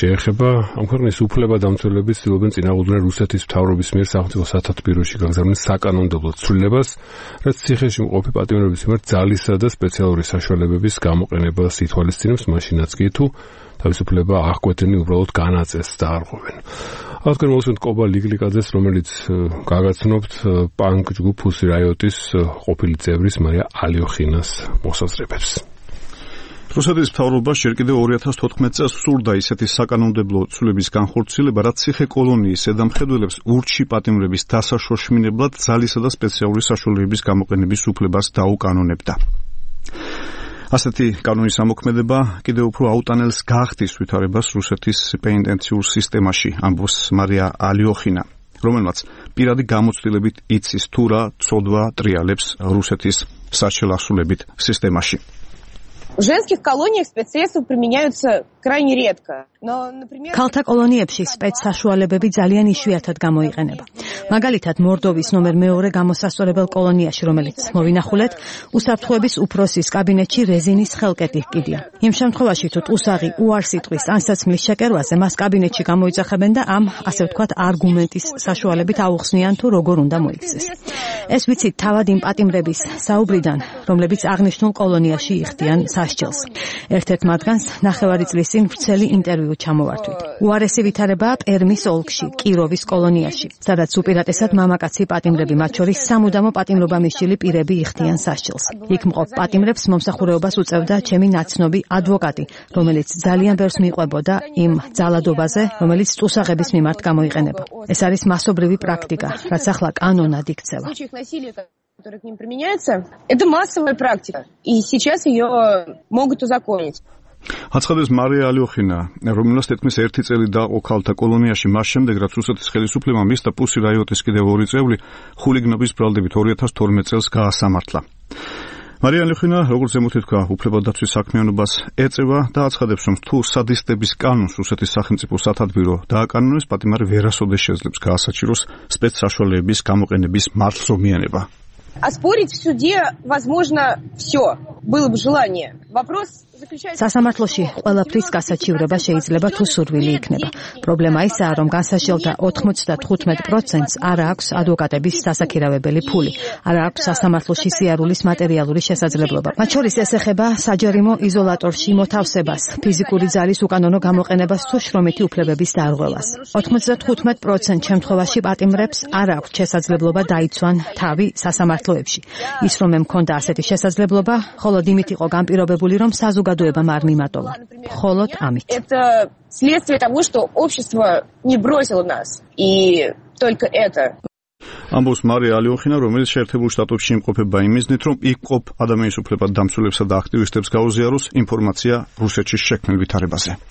შეეხება ამ ქვეყნის უფლებადამცველები ცდილობენ წინააღმდეგ რუსეთის მთავრობის მიერ სახელმწიფო სათათბიროში გაგზავნილ საკანონმდებლო ცვლილებას, რაც ციხეში მყოფი პატიმრების მიმართ ძალისა და სპეციალური საშუალებების გამოყენებას ითვალისწინებს, მაშინაც კი თუ თავისუფლება აღკვეთენი უბრალოდ განაწესს და არღვევენ. Აღდგენ მოსვენთ კობა ლიგლიკაძეს, რომელიც გაგაცნობთ პანკ ჯგუფ Pussy Riot-ის ყოფილი წევრის მარია ალიოხინას მოსაზრებებს. რუსეთის მთავრობა ჯერ კიდევ 2014 წელს სურდა ისეთი საკანონმდებლო ცვლილების განხორციელება, რაც ციხე კოლონიის ზედამხედველებს ურჩი პატიმრების დასაშოშმინებლად ძალისა და სპეციალური საშუალებების გამოყენების უფლებას დაუკანონებდა. ასეთი კანონის ამოქმედება კიდევ უფრო აუტანელს გახდის ვითარებას რუსეთის პენიტენციურ სისტემაში, ამბობს მარია ალიოხინა, რომელმაც პირადი გამოცდილებით იცის თუ რა ცოდვა ტრიალებს რუსეთის საშელასულებით სისტემაში. В женских колониях спецсредства применяются крайне редко. Но, например, ქალთა კოლონიებში სპეცსაშუალებები ძალიან იშვიათად გამოიყენება. მაგალითად, მორდოვის ნომერ 2 გამოსასწორებელ კოლონიაში, რომელიც მოვინახულეთ, უსაფრთხოების უფროსის კაბინეტში რეზინის ხელკეტი ჰკიდია. იმ შემთხვევაში, თუ ტუსაღი უარს იტყვის ანსაცმლის შეკერვაზე, მას კაბინეტში გამოიძახებენ და ამ, ასე ვთქვათ, არგუმენტის საშუალებით აუხსნიან თუ როგორ უნდა მოიქცეს. ეს ვიცით თავად იმ პატიმრების საუბრიდან, რომლებიც აღნიშნულ კოლონიაში იხდიან სასჯელს. ერთ-ერთ მათგანს ნახევარი წლის წინ ვრცელი ინტერვიუ ჩამოვართვით. უარესი ვითარებაა პერმის ოლქში, კიროვის კოლონიაში, სადაც უპირატესად მამაკაცი პატიმრები, მათ შორის სამუდამო პატიმრობა მისული პირები იხდიან სასჯელს. იქ მყოფ პატიმრებს მომსახურეობას უწევდა ჩემი ნაცნობი ადვოკატი, რომელიც ძალიან ბევრს მიყვებოდა იმ ძალადობაზე, რომელიც ტუსაღების მიმართ გამოიყენება. ეს არის მასობრივი პრაქტიკა, რაც ახლა კანონად იქცევა. которая к ним применяется, это массовая практика, и сейчас ее могут узаконить. აცხადებს მარია ალიოხინა, რომელსაც თითქმის 1 წელი დაყო ქალთა კოლონიაში, მას შემდეგ, რაც რუსეთის ხელისუფლებამ მისცა Pussy Riot-ის კიდევ 2 წევრი ხულიგნობის ბრალდებით 2012 წელს გაასამართლა. მარია ალიოხინა, როგორც ზემოთ თქვა, უფლებადაცვის საქმიანობას ეწევა და აცხადებს, რომ თუ სადისტების კანონს რუსეთის სახელმწიფო სათათბირო დააკანონოს, პატიმარი ვერასოდეს შეძლებს გაასაჭიროს სპეცსაშუალებების გამოყენების მართლზომიანება. Оспорить в суде возможно все, было бы желание. Вопрос სასამართლოში ყველაფრის გასაჩივრება შეიძლება თუ სურვილი იქნება. პრობლემა ისაა, რომ განსაჯელთა 95%-ს არ აქვს ადვოკატების დასაქირავებელი ფული, არ აქვს სასამართლოში სიარულის მატერიალური შესაძლებლობა. მათ შორის ეს ეხება საჯარიმო იზოლატორში მოთავსებას, ფიზიკური ძალის უკანონო გამოყენებას თუ შრომითი უფლებების დარღვევას. 95% შემთხვევაში პატიმრებს არ აქვს შესაძლებლობა დაიცვან თავი სასამართლოებში. ის რომ მქონდა ასეთი შესაძლებლობა, მხოლოდ იმით იყო განპირობებული, რომ საზოგადოებამ არ მიმატოვა. მხოლოდ ამით. Это следствие того, что общество не бросило нас. И только это. ამბობს მარია ალიოხინა, რომელიც შეერთებულ შტატებში იმყოფება იმ მიზნით, რომ იქ მყოფ ადამიანის უფლებად დამცველებსა და აქტივისტებს გაუზიაროს ინფორმაცია რუსეთში შექმნილ ვითარებაზე.